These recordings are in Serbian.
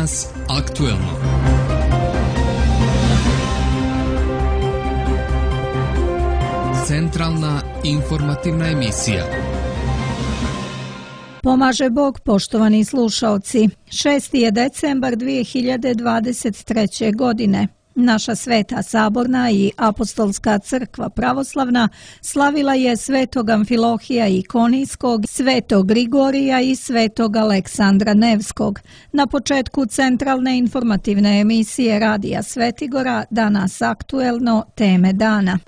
Danas aktuelno. Centralna informativna emisija. Pomaže Bog, poštovani slušaoci. 6. je decembar 2023. godine. Naša Sveta Saborna i Apostolska crkva pravoslavna slavila je svetog Amfilohija Ikonijskog, svetog Grigorija i svetog Aleksandra Nevskog. Na početku centralne informativne emisije Radija Svetigora danas aktuelno teme dana.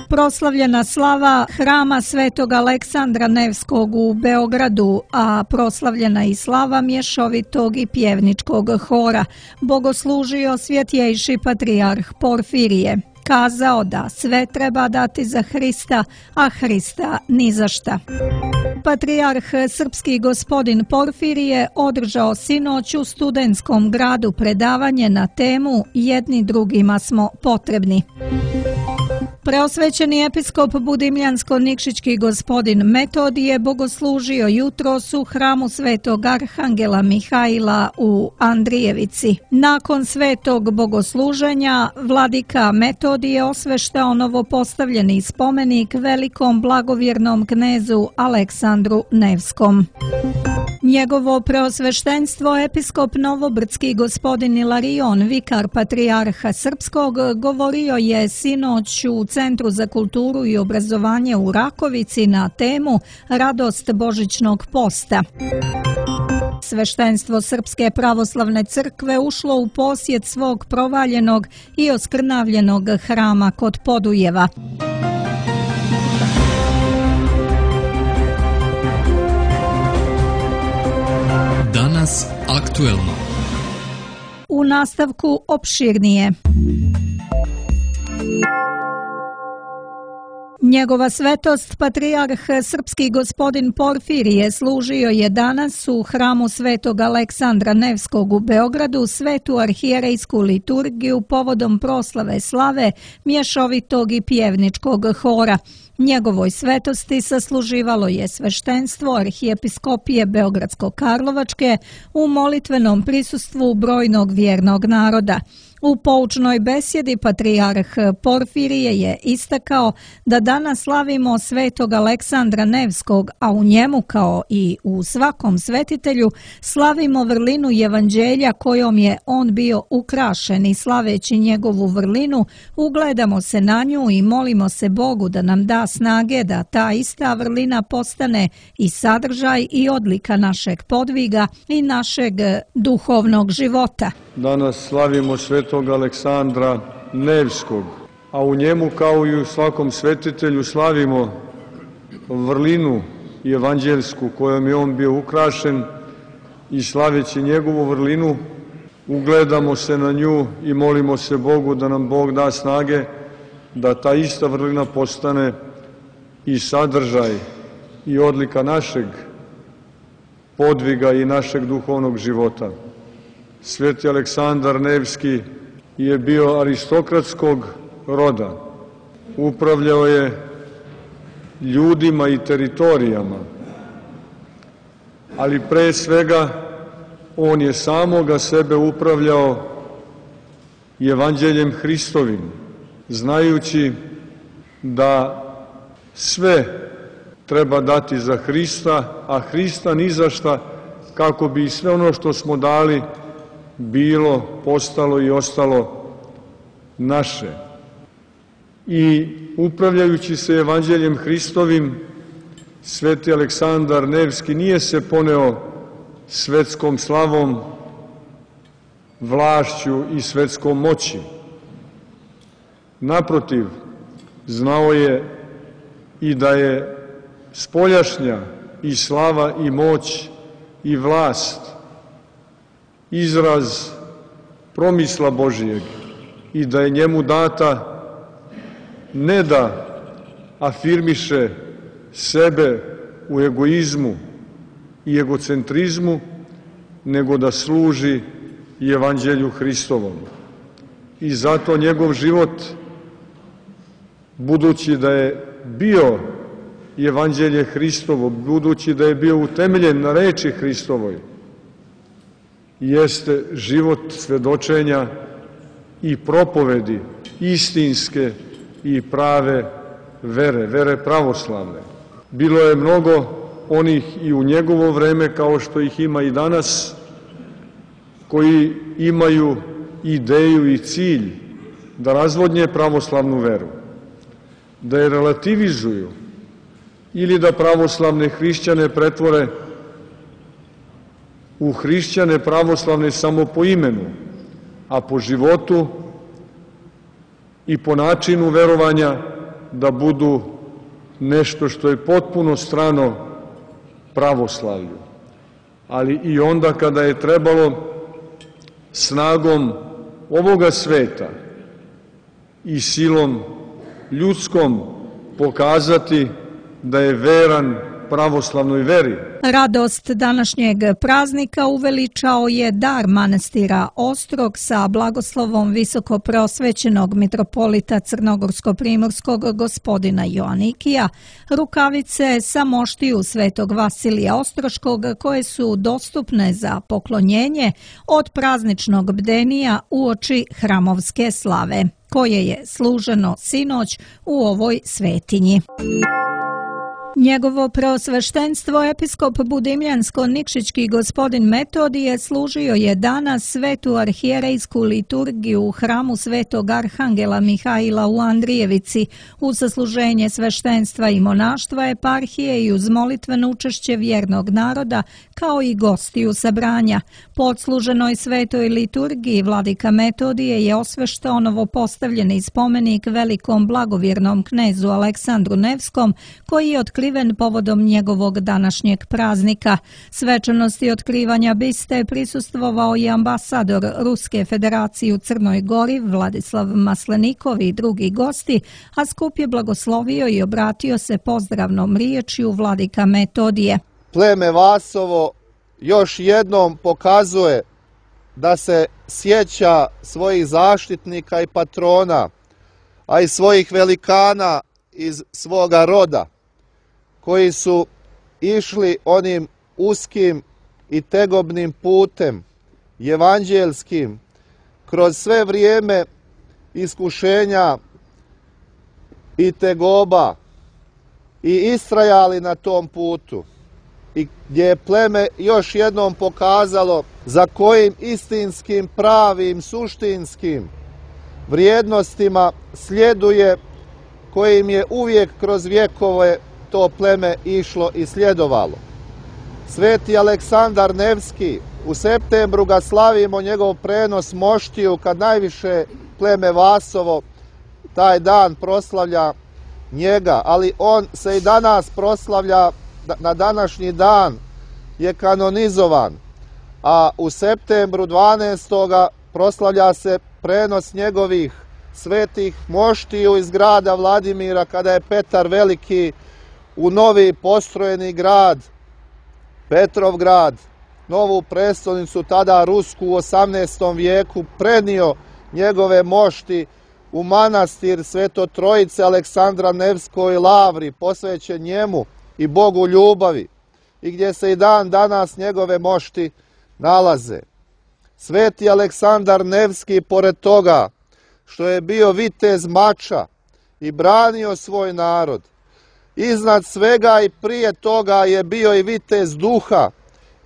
Proslavljena slava hrama svetog Aleksandra Nevskog u Beogradu, a proslavljena i slava mješovitog i pjevničkog hora. Bogoslužio svjetjejši patrijarh Porfirije. Kazao da sve treba dati za Hrista, a Hrista ni za šta. Patrijarh srpski gospodin Porfirije održao sinoć u Studentskom gradu predavanje na temu Jedni drugima smo potrebni. Preosvećeni episkop Budimljansko-Nikšićki gospodin Metodije bogoslužio jutros u hramu svetog Arhangela Mihaila u Andrijevici. Nakon svetog bogosluženja, vladika Metodije osveštao novopostavljeni spomenik velikom blagovjernom knezu Aleksandru Nevskom. Njegovo preosveštenstvo episkop Novobrdski gospodin Ilarion, vikar patrijarha srpskog, govorio je sinoć u Centru za kulturu i obrazovanje u Rakovici na temu Radost Božićnog posta. Sveštenstvo Srpske pravoslavne crkve ušlo u posjet svog provaljenog i oskrnavljenog hrama kod Podujeva. Danas aktuelno. U nastavku opširnije. Njegova svetost, patrijarh srpski gospodin Porfirije, služio je danas u hramu svetog Aleksandra Nevskog u Beogradu svetu arhijerejsku liturgiju povodom proslave slave mješovitog i pjevničkog hora. Njegovoj svetosti sasluživalo je sveštenstvo arhijepiskopije Beogradsko-Karlovačke u molitvenom prisustvu brojnog vjernog naroda. U poučnoj besjedi patrijarh Porfirije je istakao da danas slavimo svetog Aleksandra Nevskog, a u njemu kao i u svakom svetitelju slavimo vrlinu evanđelja kojom je on bio ukrašen i slaveći njegovu vrlinu ugledamo se na nju i molimo se Bogu da nam da snage da ta ista vrlina postane i sadržaj i odlika našeg podviga i našeg duhovnog života. Danas slavimo svetog Aleksandra Nevskog, a u njemu kao i u svakom svetitelju slavimo vrlinu evanđeljsku kojom je on bio ukrašen i slaveći njegovu vrlinu ugledamo se na nju i molimo se Bogu da nam Bog da snage da ta ista vrlina postane i sadržaj i odlika našeg podviga i našeg duhovnog života. Sveti Aleksandar Nevski je bio aristokratskog roda. Upravljao je ljudima i teritorijama, ali pre svega on je samoga sebe upravljao evanđeljem Hristovim, znajući da sve treba dati za Hrista, a Hrista ni za šta, kako bi sve ono što smo dali bilo, postalo i ostalo naše. I upravljajući se evanđeljem Hristovim, sveti Aleksandar Nevski nije se poneo svetskom slavom, vlašću i svetskom moći. Naprotiv, znao je i da je spoljašnja i slava i moć i vlast izraz promisla Božijeg i da je njemu data ne da afirmiše sebe u egoizmu i egocentrizmu, nego da služi i evanđelju Hristovom. I zato njegov život, budući da je bio evanđelje Hristovo, budući da je bio utemeljen na reči Hristovoj, jeste život svedočenja i propovedi istinske i prave vere, vere pravoslavne. Bilo je mnogo onih i u njegovo vreme, kao što ih ima i danas, koji imaju ideju i cilj da razvodnje pravoslavnu veru, da je relativizuju ili da pravoslavne hrišćane pretvore u hrišćane pravoslavne samo po imenu, a po životu i po načinu verovanja da budu nešto što je potpuno strano pravoslavlju. Ali i onda kada je trebalo snagom ovoga sveta i silom ljudskom pokazati da je veran pravoslavnoj veri. Radost današnjeg praznika uveličao je dar manastira Ostrog sa blagoslovom visokopreosvećenog mitropolita crnogorsko-primorskog gospodina Joanikija, rukavice sa moštiju svetog Vasilija Ostroškog koje su dostupne za poklonjenje od prazničnog bdenija uoči hramovske slave, koje je služeno sinoć u ovoj svetinji. Njegovo preosveštenstvo episkop budimljansko-nikšićki gospodin Metodije služio je danas svetu arhijerejsku liturgiju u hramu svetog arhangela Mihaila u Andrijevici uz sasluženje sveštenstva i monaštva eparhije i uz molitveno učešće vjernog naroda kao i gostiju sabranja. Po odsluženoj svetoj liturgiji vladika Metodije je osveštao novopostavljeni spomenik velikom blagovjernom knezu Aleksandru Nevskom koji je otkriven povodom njegovog današnjeg praznika. Svečanosti otkrivanja biste prisustvovao i ambasador Ruske federacije u Crnoj Gori Vladislav Maslenikov i drugi gosti, a skup je blagoslovio i obratio se pozdravnom riječju vladika Metodije. Pleme Vasovo još jednom pokazuje da se sjeća svojih zaštitnika i patrona, a i svojih velikana iz svoga roda, koji su išli onim uskim i tegobnim putem, evanđelskim, kroz sve vrijeme iskušenja i tegoba i istrajali na tom putu. I gdje je pleme još jednom pokazalo za kojim istinskim, pravim, suštinskim vrijednostima sljeduje, kojim je uvijek kroz vjekove to pleme išlo i sljedovalo. Sveti Aleksandar Nevski, u septembru ga slavimo njegov prenos moštiju, kad najviše pleme Vasovo taj dan proslavlja njega, ali on se i danas proslavlja, na današnji dan je kanonizovan, a u septembru 12. proslavlja se prenos njegovih svetih moštiju iz grada Vladimira, kada je Petar Veliki u novi postrojeni grad, Petrovgrad, novu prestolnicu, tada Rusku u 18. vijeku, prenio njegove mošti u manastir Sveto Trojice Aleksandra Nevskoj Lavri, posvećen njemu i Bogu ljubavi, i gdje se i dan danas njegove mošti nalaze. Sveti Aleksandar Nevski, pored toga što je bio vitez mača i branio svoj narod, iznad svega i prije toga je bio i vitez duha,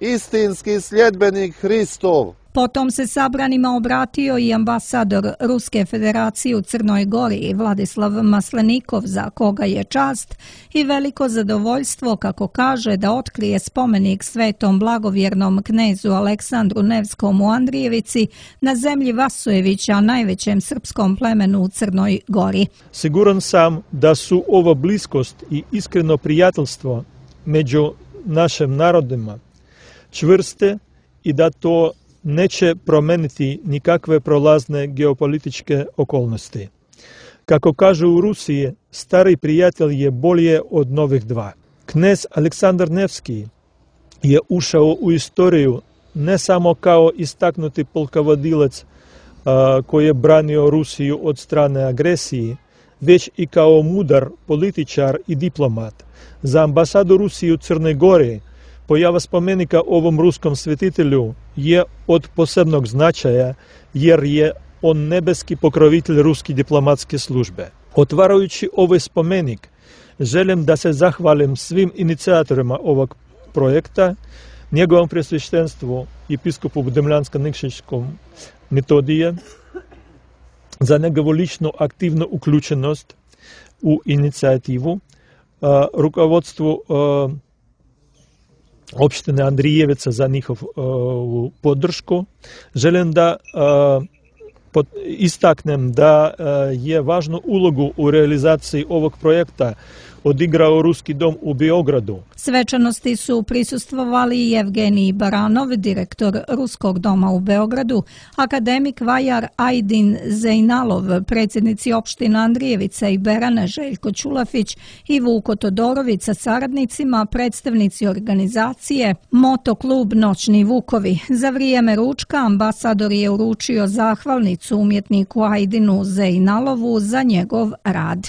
istinski sljedbenik Hristov. Potom se sabranima obratio i ambasador Ruske federacije u Crnoj Gori Vladislav Maslenikov, za koga je čast i veliko zadovoljstvo, kako kaže, da otkrije spomenik svetom blagovjernom knezu Aleksandru Nevskom u Andrijevici na zemlji Vasojevića, najvećem srpskom plemenu u Crnoj Gori. Siguran sam da su ova bliskost i iskreno prijateljstvo među našim narodima čvrste i da to neće promeniti nikakve prolazne geopolitičke okolnosti. Kako kažu u Rusiji, stari prijatelj je bolje od novih dva. Knez Aleksandar Nevski je ušao u istoriju ne samo kao istaknuti polkovodilac koji je branio Rusiju od strane agresije, već i kao mudar političar i diplomat. Za ambasadu Rusije u Crnoj Gori Pojava spomenika ovom ruskom svetitelju je od posebnog značaja jer je on nebeski pokrovitelj ruske diplomatske službe. Otvarajući ovaj spomenik, želim da se zahvalim svim inicijatorima ovog projekta, njegovom presveštenstvu episkopu Demljansko-Nikšićkom Metodije za njegovu ličnu aktivnu uključenost u inicijativu, rukovodstvu opštine Andrijevica za njihovu podršku. Želim da istaknem da je važnu ulogu u realizaciji ovog projekta odigrao Ruski dom u Beogradu. Svečanosti su prisustvovali Evgenij Baranov, direktor Ruskog doma u Beogradu, akademik Vajar Ajdin Zejnalov, predsjednici opština Andrijevica i Berane Željko Ćulafić i Vuko Todorović sa saradnicima, predstavnici organizacije Motoklub Noćni Vukovi. Za vrijeme ručka ambasador je uručio zahvalnicu umjetniku Ajdinu Zejnalovu za njegov rad.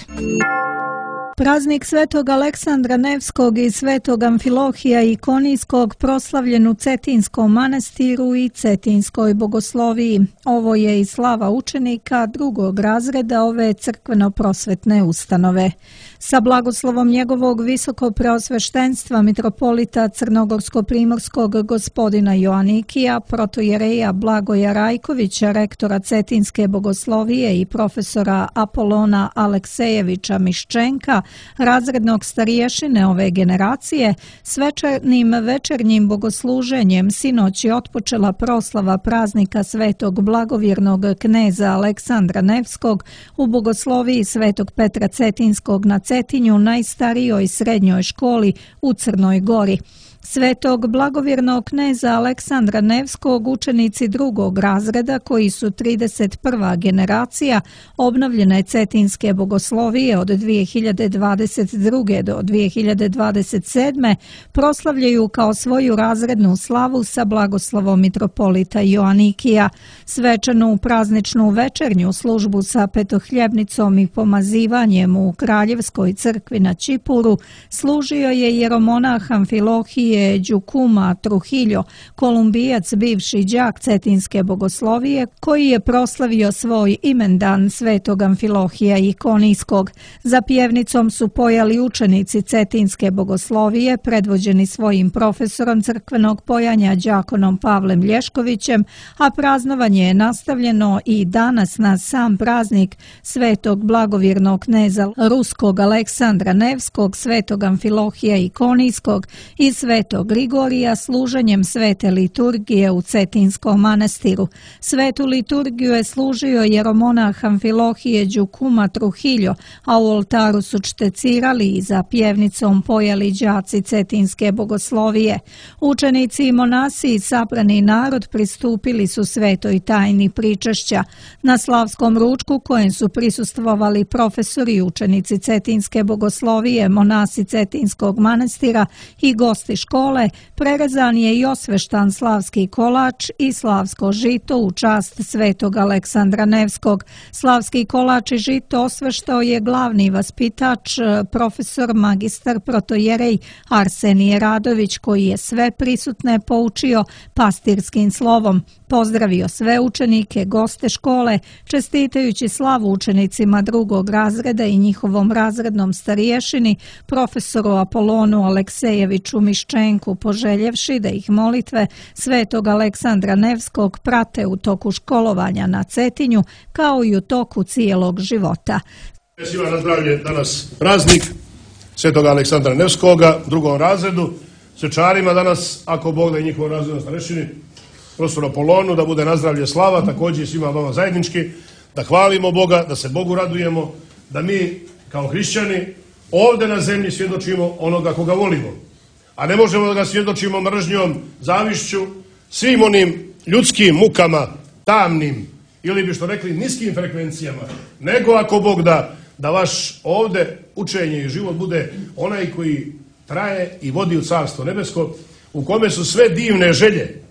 Praznik Svetog Aleksandra Nevskog i Svetog Amfilohija Ikonijskog proslavljen u Cetinskom manastiru i Cetinskoj bogosloviji. Ovo je i slava učenika drugog razreda ove crkveno-prosvetne ustanove. Sa blagoslovom njegovog visokopreosveštenstva mitropolita Crnogorsko-primorskog gospodina Joanikija, protojereja Blagoja Rajkovića, rektora Cetinske bogoslovije i profesora Apolona Aleksejevića Miščenka, razrednog stariješine ove generacije, svečanim večernjim bogosluženjem sinoć je otpočela proslava praznika Svetog blagovjernog kneza Aleksandra Nevskog u bogosloviji Svetog Petra Cetinskog na Cetinju, najstarijoj srednjoj školi u Crnoj Gori. Svetog blagovjernog kneza Aleksandra Nevskog učenici drugog razreda, koji su 31. generacija obnovljene Cetinske bogoslovije od 2022. do 2027. proslavljaju kao svoju razrednu slavu sa blagoslovom mitropolita Joanikija. Svečanu prazničnu večernju službu sa petohljebnicom i pomazivanjem u Kraljevskoj crkvi na Čipuru služio je jeromonah Amfilohije Đukuma Truhiljo, kolumbijac, bivši đak Cetinske bogoslovije, koji je proslavio svoj imendan Svetog Amfilohija Ikonijskog. Za pjevnicom su pojali učenici Cetinske bogoslovije, predvođeni svojim profesorom crkvenog pojanja đakonom Pavlem Lješkovićem, a praznovanje je nastavljeno i danas na sam praznik Svetog blagovjernog kneza Ruskog Aleksandra Nevskog, Svetog Amfilohija Ikonijskog i Svetog Grigorija služenjem svete liturgije u Cetinskom manastiru. Svetu liturgiju je služio jeromonah Amfilohije Đukuma Truhiljo, a u oltaru su čtecirali i za pjevnicom pojali đaci Cetinske bogoslovije. Učenici i monasi i sabrani narod pristupili su svetoj tajni pričešća. Na slavskom ručku, kojem su prisustvovali profesori i učenici Cetinske bogoslovije, monasi Cetinskog manastira i gosti škole, prerezan je i osveštan slavski kolač i slavsko žito u čast Svetog Aleksandra Nevskog. Slavski kolač i žito osveštao je glavni vaspitač, profesor magistar protojerej Arsenije Radović, koji je sve prisutne poučio pastirskim slovom. Pozdravio sve učenike, goste škole, čestitajući slavu učenicima drugog razreda i njihovom razrednom stariješini, profesoru Apolonu Aleksejeviću Miščenku, poželjevši da ih molitve Svetog Aleksandra Nevskog prate u toku školovanja na Cetinju, kao i u toku cijelog života. Svima na zdravlje, danas praznik Svetog Aleksandra Nevskoga, drugom razredu, svečarima danas, ako Bog da i njihovom razrednom starešini, profesoru Apolonu, da bude nazdravlje slava, također i svima vama zajednički, da hvalimo Boga, da se Bogu radujemo, da mi kao hrišćani ovdje na zemlji svjedočimo onoga koga volimo. A ne možemo da ga svjedočimo mržnjom, zavišću, svim onim ljudskim mukama, tamnim, ili bi što rekli niskim frekvencijama, nego ako Bog da vaš ovdje učenje i život bude onaj koji traje i vodi u Carstvo nebesko, u kome su sve divne želje,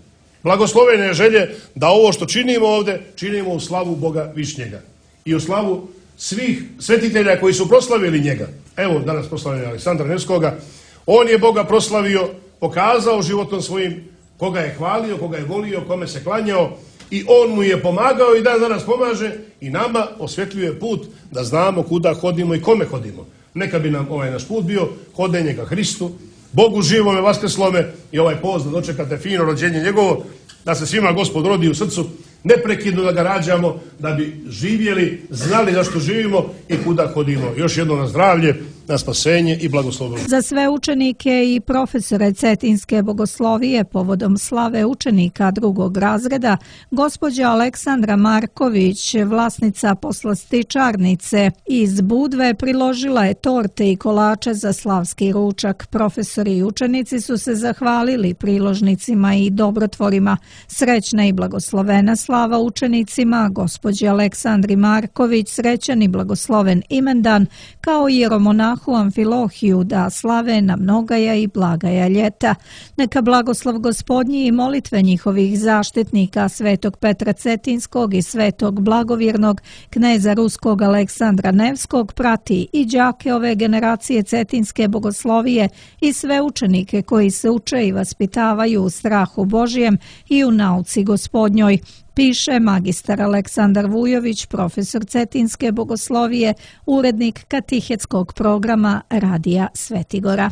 blagoslovene želje, da ovo što činimo ovdje, činimo u slavu Boga Višnjega i u slavu svih svetitelja koji su proslavili njega. Evo danas proslavljeni Aleksandra Nevskoga. On je Boga proslavio pokazao životom svojim koga je hvalio, koga je volio, kome se klanjao i on mu je pomagao i dan danas pomaže i nama osvjetljuje put da znamo kuda hodimo i kome hodimo. Neka bi nam ovaj naš put bio hodenje ka Hristu, Bogu živome, vaskrslome i ovaj post da dočekate fino rođenje njegovo, da se svima Gospod rodi u srcu, neprekidno da ga rađamo, da bi živjeli, znali zašto živimo i kuda hodimo. Još jedno na zdravlje, na spasenje i blagoslovo. Za sve učenike i profesore Cetinske bogoslovije povodom slave učenika drugog razreda, gospođa Aleksandra Marković, vlasnica poslastičarnice iz Budve, priložila je torte i kolače za slavski ručak. Profesori i učenici su se zahvalili priložnicima i dobrotvorima. Srećna i blagoslovena slava učenicima, gospođi Aleksandri Marković, srećan i blagosloven imendan, kao i jeromonahu Amfilohiju, da slave na mnogaja i blagaja ljeta. Neka blagoslov Gospodnji i molitve njihovih zaštitnika, svetog Petra Cetinskog i svetog blagovjernog kneza ruskog Aleksandra Nevskog, prati i đake ove generacije Cetinske bogoslovije i sve učenike koji se uče i vaspitavaju u strahu Božijem i u nauci Gospodnjoj, piše magistar Aleksandar Vujović, profesor Cetinske bogoslovije, urednik katehetskog programa Radija Svetigora.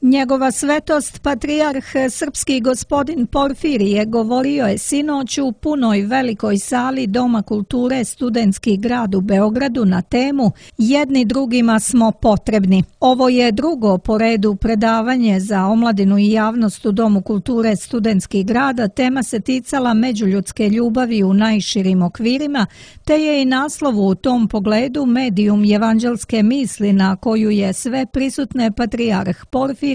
Njegova svetost, patrijarh srpski gospodin Porfirije, govorio je sinoć u punoj velikoj sali Doma kulture Studentski grad u Beogradu na temu Jedni drugima smo potrebni. Ovo je drugo po redu predavanje za omladinu i javnost u Domu kulture Studentski grad. Tema se ticala međuljudske ljubavi u najširim okvirima, te je i naslov u tom pogledu medijum evanđelske misli na koju je sve prisutne patrijarh Porfirije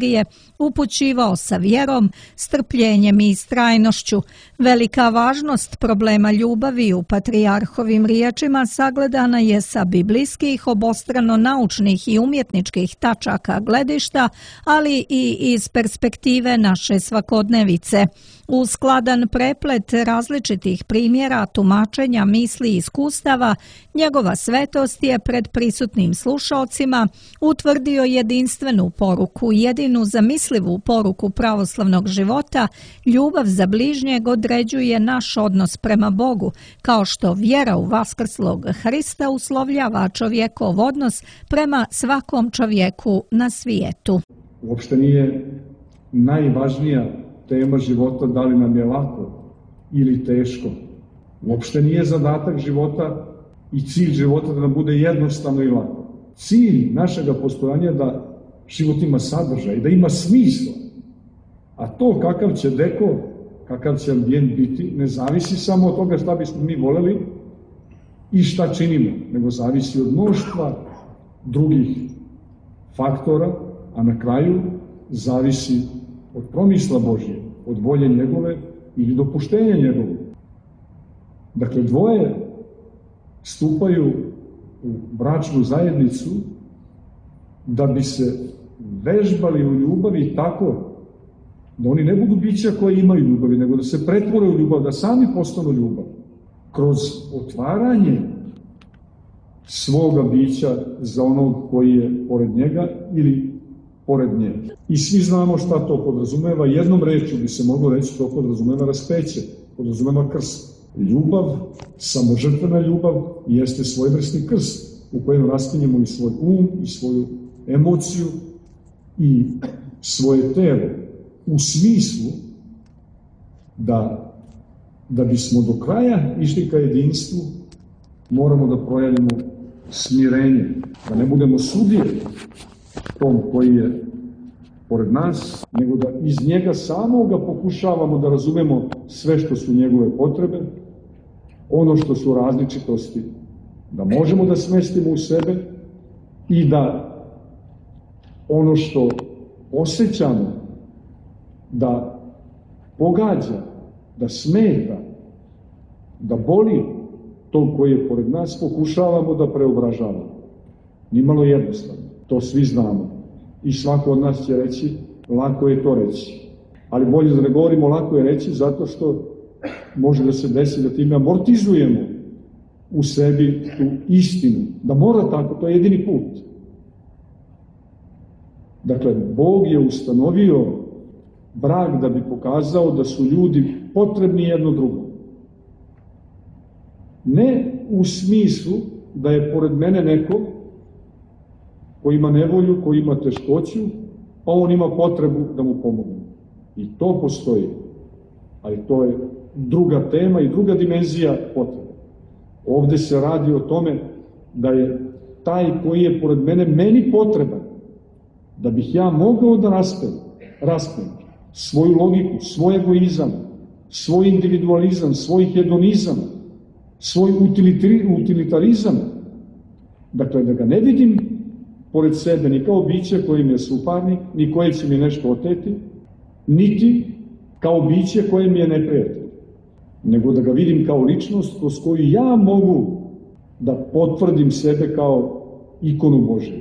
upućivao sa vjerom, strpljenjem i istrajnošću. Velika važnost problema ljubavi u patrijarhovim riječima sagledana je sa biblijskih, obostrano naučnih i umjetničkih tačaka gledišta, ali i iz perspektive naše svakodnevice. U skladan preplet različitih primjera, tumačenja, misli i iskustava, njegova svetost je pred prisutnim slušalcima utvrdio jedinstvenu poruku, jedinu zamislivu poruku pravoslavnog života. Ljubav za bližnjeg određuje naš odnos prema Bogu, kao što vjera u vaskrslog Hrista uslovljava čovjekov odnos prema svakom čovjeku na svijetu. Uopšte nije najvažnija tema života da li nam je lako ili teško. Uopšte nije zadatak života i cilj života da nam bude jednostavno i lako. Cilj našega postojanja je da život ima sadržaj, da ima smisla. A to kakav će dekor, kakav će ambijent biti, ne zavisi samo od toga šta bismo mi voljeli i šta činimo, nego zavisi od mnoštva drugih faktora, a na kraju zavisi od promisla Božje, od volje njegove ili dopuštenja njegove. Dakle, dvoje stupaju u bračnu zajednicu da bi se vežbali u ljubavi tako da oni ne budu bića koje imaju ljubavi, nego da se pretvore u ljubav, da sami postanu ljubav. Kroz otvaranje svoga bića za onog koji je pored njega ili pored nje. I svi znamo šta to podrazumeva. Jednom rečju bi se moglo reći to podrazumeva raspeće, podrazumeva krst. Ljubav, samožrtvena ljubav, jeste svojevrsni krst u kojem raspinjemo i svoj i svoju emociju i svoje telo u smislu da bismo do kraja išli ka jedinstvu moramo da projavimo smirenje, da ne budemo sudije tom koji je pored nas, nego da iz njega samoga pokušavamo da razumemo sve što su njegove potrebe, ono što su različitosti, da možemo da smestimo u sebe i da ono što osjećamo da pogađa, da smeta, da boli to koji je pored nas, pokušavamo da preobražavamo. Nimalo jednostavno, to svi znamo. I svako od nas će reći, lako je to reći. Ali bolje da ne govorimo lako je reći, zato što može da se desi da time amortizujemo u sebi tu istinu. Da mora tako, to je jedini put. Dakle, Bog je ustanovio brak da bi pokazao da su ljudi potrebni jedno drugom. Ne u smislu da je pored mene neko ko ima nevolju, ko ima teškoću, pa on ima potrebu da mu pomogne. I to postoji, ali to je druga tema i druga dimenzija potrebe. Ovde se radi o tome da je taj koji je pored mene meni potreban, da bih ja mogao da raspem svoju logiku, svoj egoizam, svoj individualizam, svoj hedonizam, svoj utilitarizam. Dakle, da ga ne vidim pored sebe ni kao biće koje mi je suparnik, ni koje će mi nešto oteti, niti kao biće koje mi je neprijatelj, nego da ga vidim kao ličnost kroz koju ja mogu da potvrdim sebe kao ikonu Božiju.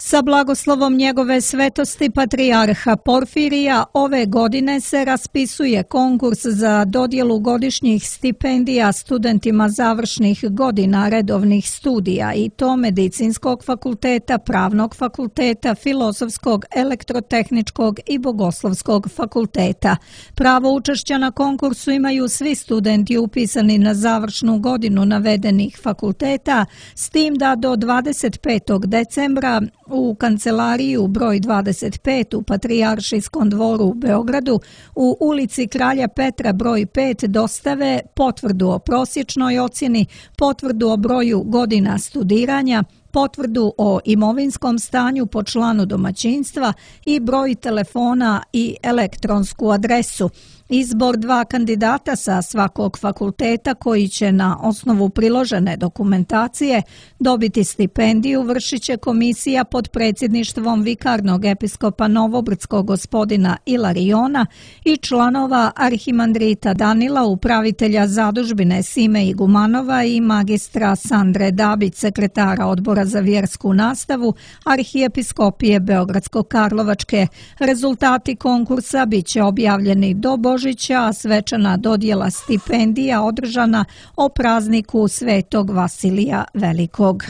Sa blagoslovom njegove svetosti patrijarha Porfirija ove godine se raspisuje konkurs za dodjelu godišnjih stipendija studentima završnih godina redovnih studija i to Medicinskog fakulteta, Pravnog fakulteta, Filozofskog, Elektrotehničkog i Bogoslovskog fakulteta. Pravo učešća na konkursu imaju svi studenti upisani na završnu godinu navedenih fakulteta, s tim da do 25. decembra u kancelariju broj 25 u Patrijaršijskom dvoru u Beogradu u ulici Kralja Petra broj 5 dostave potvrdu o prosječnoj ocjeni, potvrdu o broju godina studiranja, potvrdu o imovinskom stanju po članu domaćinstva i broj telefona i elektronsku adresu. Izbor 2 kandidata sa svakog fakulteta koji će na osnovu priložene dokumentacije dobiti stipendiju vršit će komisija pod predsjedništvom vikarnog episkopa Novobrdskog gospodina Ilariona i članova arhimandrita Danila, upravitelja zadužbine Sime Igumanova i magistra Sandre Dabić, sekretara odbora za vjersku nastavu Arhijepiskopije Beogradsko-Karlovačke. Rezultati konkursa bit će objavljeni do Božića, a svečana dodjela stipendija održana o prazniku Svetog Vasilija Velikog.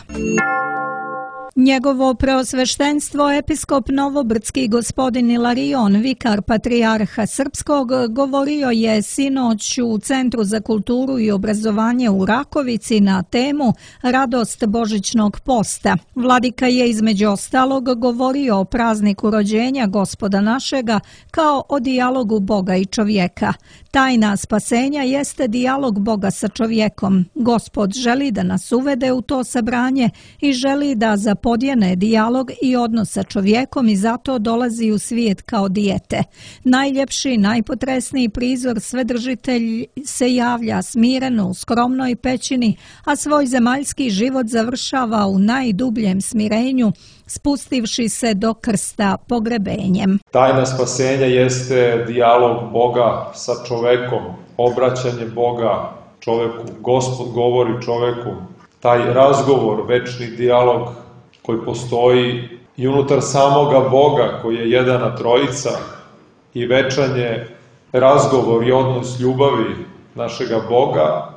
Njegovo preosveštenstvo episkop Novobrdski gospodin Ilarion, vikar patrijarha Srpskog, govorio je sinoć u Centru za kulturu i obrazovanje u Rakovici na temu Radost Božićnog posta. Vladika je između ostalog govorio o prazniku rođenja Gospoda našega kao o dijalogu Boga i čovjeka. Tajna spasenja jeste dijalog Boga sa čovjekom. Gospod želi da nas uvede u to sabranje i želi da zapodjene dijalog i odnos sa čovjekom i zato dolazi u svijet kao dijete. Najljepši, najpotresniji prizor Svedržitelj se javlja smireno u skromnoj pećini, a svoj zemaljski život završava u najdubljem smirenju, spustivši se do krsta pogrebenjem. Tajna spasenja jeste dijalog Boga sa čovekom, obraćanje Boga čoveku, Gospod govori čoveku. Taj razgovor, večni dijalog koji postoji i unutar samoga Boga koji je jedana trojica i večan je razgovor i odnos ljubavi našega Boga,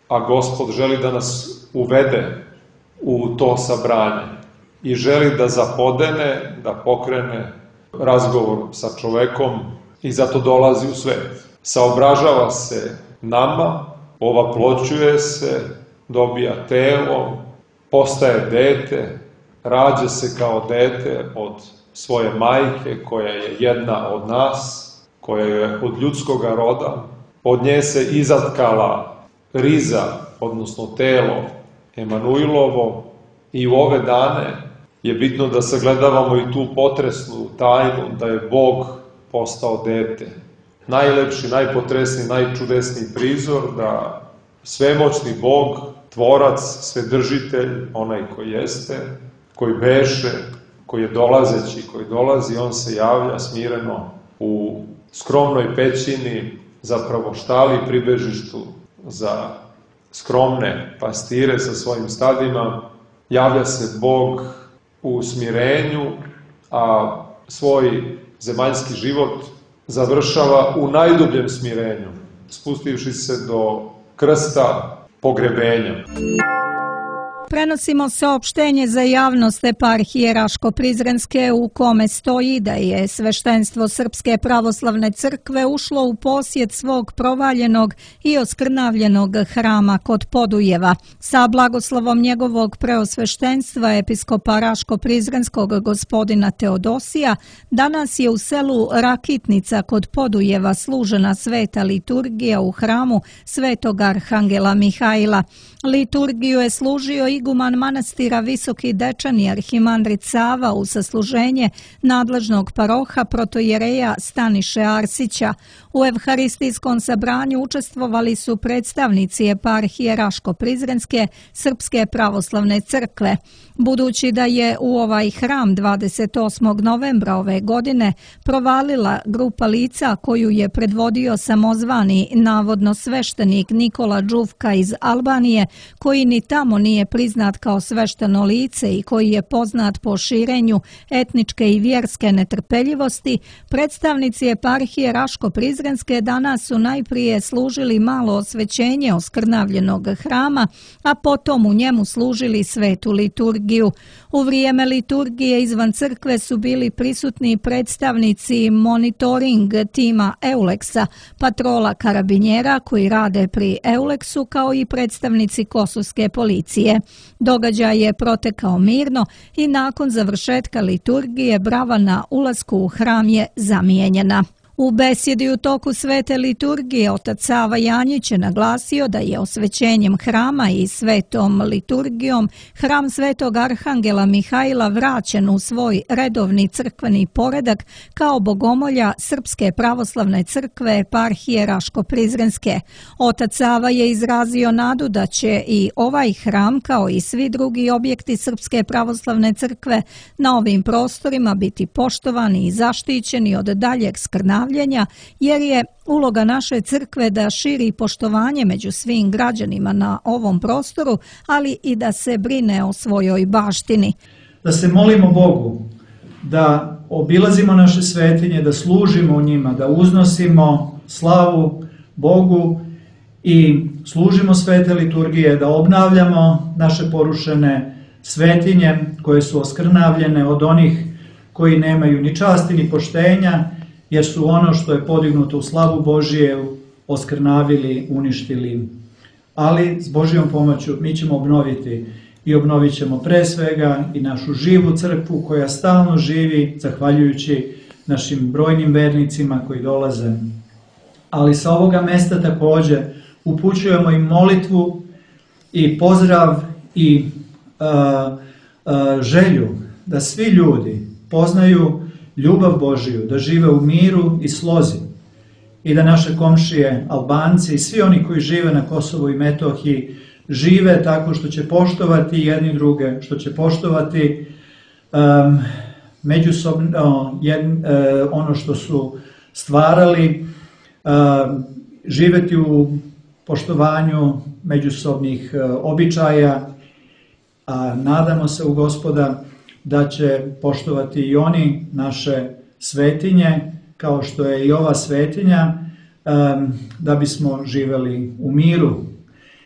a Gospod želi da nas uvede u to sabranje i želi da zapodene, da pokrene razgovor sa čovekom i zato dolazi u svet. Saobražava se nama, ovaploćuje se, dobija telo, postaje dete, rađa se kao dete od svoje majke koja je jedna od nas, koja je od ljudskoga roda. Od nje se izatkala riza, odnosno telo Emanuilovo i u ove dane je bitno da sagledavamo i tu potresnu tajnu da je Bog postao dete. Najlepši, najpotresniji, najčudesniji prizor da svemoćni Bog, tvorac, svedržitelj, onaj koji jeste, koji beše, koji je dolazeći, koji dolazi, on se javlja smireno u skromnoj pećini, zapravo štali pribežištu za skromne pastire sa svojim stadima. Javlja se Bog u smirenju, a svoj zemaljski život završava u najdubljem smirenju, spustivši se do krsta pogrebenja. Prenosimo saopštenje za javnost eparhije Raško-Prizrenske u kome stoji da je sveštenstvo Srpske pravoslavne crkve ušlo u posjed svog provaljenog i oskrnavljenog hrama kod Podujeva. Sa blagoslovom njegovog preosveštenstva episkopa Raško-Prizrenskog gospodina Teodosija danas je u selu Rakitnica kod Podujeva služena sveta liturgija u hramu Svetog Arhangela Mihajla. Liturgiju je služio iguman manastira Visoki Dečani arhimandrit Sava u sasluženje nadležnog paroha protojereja Staniše Arsića. U evharistijskom sabranju učestvovali su predstavnici eparhije Raško-Prizrenske Srpske pravoslavne crkve. Budući da je u ovaj hram 28. novembra ove godine provalila grupa lica koju je predvodio samozvani navodno sveštenik Nikola Đuvka iz Albanije, koji ni tamo nije priznat kao svešteno lice i koji je poznat po širenju etničke i vjerske netrpeljivosti, predstavnici eparhije Raško-Prizrenske danas su najprije služili malo osvećenje oskrnavljenog hrama, a potom u njemu služili svetu liturgiju. U vrijeme liturgije izvan crkve su bili prisutni predstavnici monitoring tima Euleksa, patrola karabinjera koji rade pri Euleksu, kao i predstavnici kosovske policije. Događaj je protekao mirno i nakon završetka liturgije brava na ulasku u hram je zamijenjena. U besjedi u toku svete liturgije otac Sava Janjić je naglasio da je osvećenjem hrama i svetom liturgijom hram Svetog Arhangela Mihajla vraćen u svoj redovni crkveni poredak kao bogomolja Srpske pravoslavne crkve eparhije Raško-Prizrenske. Otac Sava je izrazio nadu da će i ovaj hram kao i svi drugi objekti Srpske pravoslavne crkve na ovim prostorima biti poštovani i zaštićeni od daljeg skrnavljenja, jer je uloga naše crkve da širi poštovanje među svim građanima na ovom prostoru, ali i da se brine o svojoj baštini. Da se molimo Bogu, da obilazimo naše svetinje, da služimo u njima, da uznosimo slavu Bogu i služimo svete liturgije, da obnavljamo naše porušene svetinje koje su oskrnavljene od onih koji nemaju ni časti ni poštenja, jer su ono što je podignuto u slavu Božije oskrnavili, uništili. Ali s Božjom pomoću mi ćemo obnoviti i obnovit ćemo pre svega i našu živu crkvu koja stalno živi zahvaljujući našim brojnim vernicima koji dolaze. Ali sa ovoga mesta također upućujemo i molitvu i pozdrav i želju da svi ljudi poznaju ljubav Božiju, da žive u miru i slozi i da naše komšije Albanci i svi oni koji žive na Kosovu i Metohiji žive tako što će poštovati jedni druge, što će poštovati međusobno ono što su stvarali, živeti u poštovanju međusobnih običaja, a nadamo se u Gospoda da će poštovati i oni naše svetinje, kao što je i ova svetinja, da bismo živeli u miru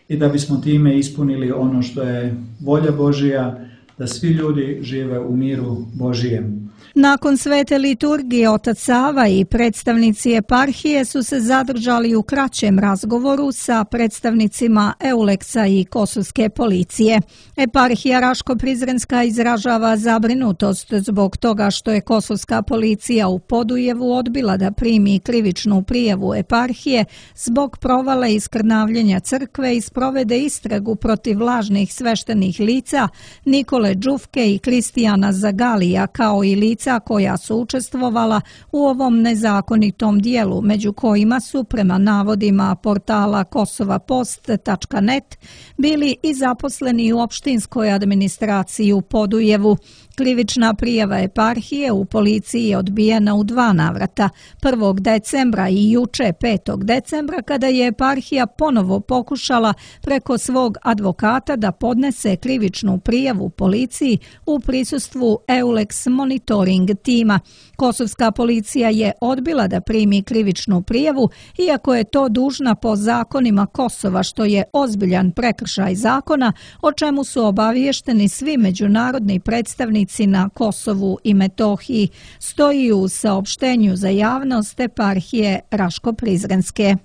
i da bismo time ispunili ono što je volja Božija, da svi ljudi žive u miru Božijem. Nakon svete liturgije otac Sava i predstavnici eparhije su se zadržali u kraćem razgovoru sa predstavnicima Euleksa i kosovske policije. Eparhija Raško-Prizrenska izražava zabrinutost zbog toga što je kosovska policija u Podujevu odbila da primi krivičnu prijavu eparhije zbog provala i skrnavljenja crkve i sprovede istragu protiv lažnih sveštenih lica Nikole Đuvke i Kristijana Zagalija, kao i lica koja su učestvovala u ovom nezakonitom dijelu, među kojima su, prema navodima portala kosovapost.net, bili i zaposleni u opštinskoj administraciji u Podujevu. Krivična prijava eparhije u policiji je odbijena u 2 navrata, 1. decembra i juče 5. decembra, kada je eparhija ponovo pokušala preko svog advokata da podnese krivičnu prijavu policiji policiji u prisustvu EULEX monitoring tima. Kosovska policija je odbila da primi krivičnu prijavu, iako je to dužna po zakonima Kosova, što je ozbiljan prekršaj zakona, o čemu su obaviješteni svi međunarodni predstavnici na Kosovu i Metohiji, stoji u saopštenju za javnost eparhije Raško-Prizrenske.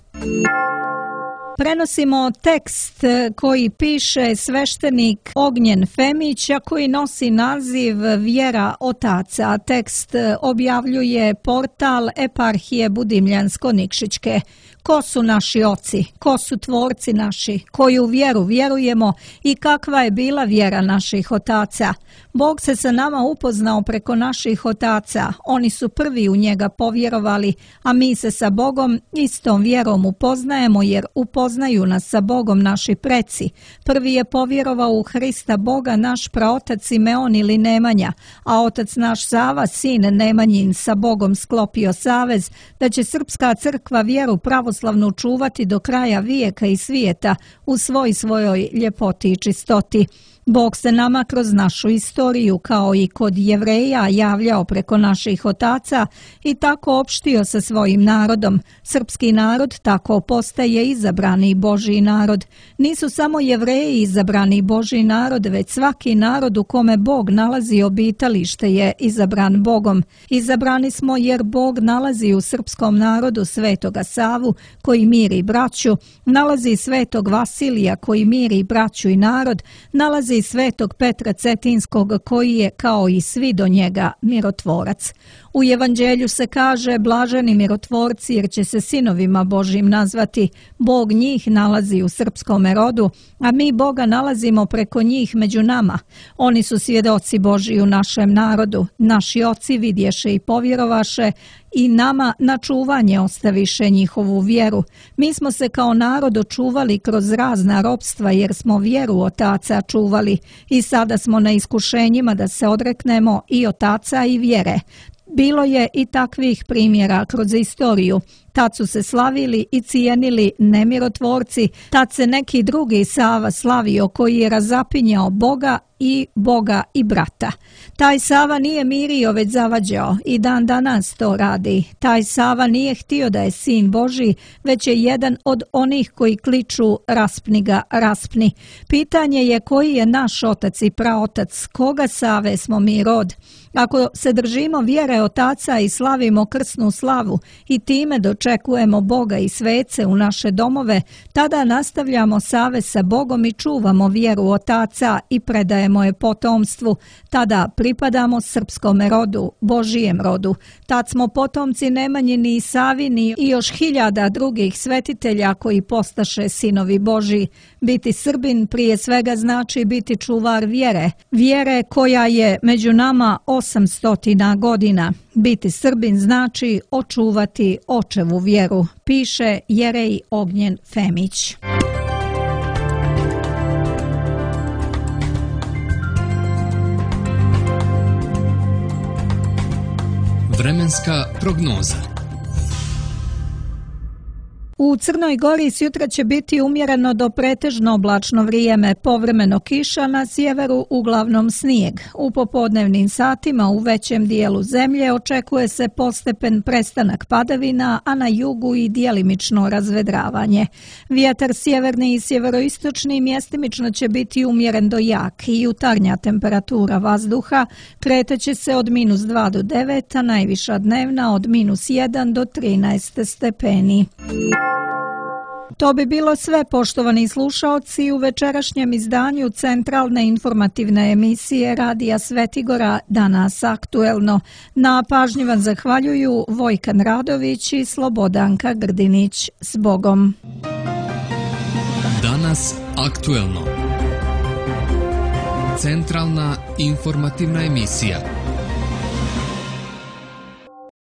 Prenosimo tekst koji piše sveštenik Ognjen Femić, a koji nosi naziv Vjera otaca. Tekst objavljuje portal eparhije Budimljansko-Nikšićke. Ko su naši oci? Ko su tvorci naši? Koju vjeru vjerujemo i kakva je bila vjera naših otaca? Bog se sa nama upoznao preko naših otaca. Oni su prvi u njega povjerovali, a mi se sa Bogom istom vjerom upoznajemo, jer upoznaju nas sa Bogom naši preci. Prvi je povjerovao u Hrista Boga naš praotac Simeon ili Nemanja, a otac naš Sava, sin Nemanjin, sa Bogom sklopio savez da će srpska crkva vjeru pravoslavnu čuvati do kraja vijeka i svijeta u svojoj ljepoti i čistoti. Bog se nama kroz našu istoriju, kao i kod Jevreja, javljao preko naših otaca i tako opštio sa svojim narodom. Srpski narod tako postaje izabrani Božji narod. Nisu samo Jevreji izabrani Božji narod, već svaki narod u kome Bog nalazi obitalište je izabran Bogom. Izabrani smo jer Bog nalazi u srpskom narodu Svetoga Savu, koji miri braću, nalazi Svetog Vasilija, koji miri braću i narod, nalazi Svetog Petra Cetinskog, koji je, kao i svi do njega, mirotvorac. U Evanđelju se kaže: blaženi mirotvorci, jer će se sinovima Božjim nazvati. Bog njih nalazi u srpskome rodu, a mi Boga nalazimo preko njih među nama. Oni su svjedoci Božji u našem narodu. Naši oci vidješe i povjerovaše, i nama na čuvanje ostaviše njihovu vjeru. Mi smo se kao narod očuvali kroz razna ropstva, jer smo vjeru otaca čuvali, i sada smo na iskušenjima da se odreknemo i otaca i vjere. Bilo je i takvih primjera kroz istoriju. Tad su se slavili i cijenili nemirotvorci, tad se neki drugi Sava slavio, koji je razapinjao Boga i brata. Taj Sava nije mirio, već zavađao, i dan danas to radi. Taj Sava nije htio da je sin Božji, već je jedan od onih koji kliču: raspni ga, raspni. Pitanje je koji je naš otac i praotac, koga Save smo mi rod. Ako se držimo vjere otaca i slavimo krsnu slavu i time dočekujemo Boga i svece u naše domove, tada nastavljamo savez sa Bogom i čuvamo vjeru otaca i predajemo je potomstvu. Tada pripadamo srpskom rodu, Božijem rodu. Tad smo potomci Nemanjini i Savini i još hiljada drugih svetitelja koji postaše sinovi Božji. Biti Srbin prije svega znači biti čuvar vjere. Vjere koja je među nama 800 godina. Biti Srbin znači očuvati očevu vjeru, piše Jerej Ognjen Femić. Vremenska prognoza. U Crnoj Gori sjutra će biti umjereno do pretežno oblačno vrijeme, povremeno kiša, na sjeveru uglavnom snijeg. U popodnevnim satima u većem dijelu zemlje očekuje se postepen prestanak padavina, a na jugu i djelimično razvedravanje. Vjetar sjeverni i sjeveroistočni mjestimično će biti umjeren do jak i jutarnja temperatura vazduha kreteće se od -2 do 9, a najviša dnevna od -1 do 13 stepeni. To bi bilo sve, poštovani slušaoci, u večerašnjem izdanju centralne informativne emisije Radija Svetigora Danas aktuelno. Na pažnji vam zahvaljuju Vojkan Radović i Slobodanka Grdinić. S Bogom. Danas aktuelno. Centralna informativna emisija.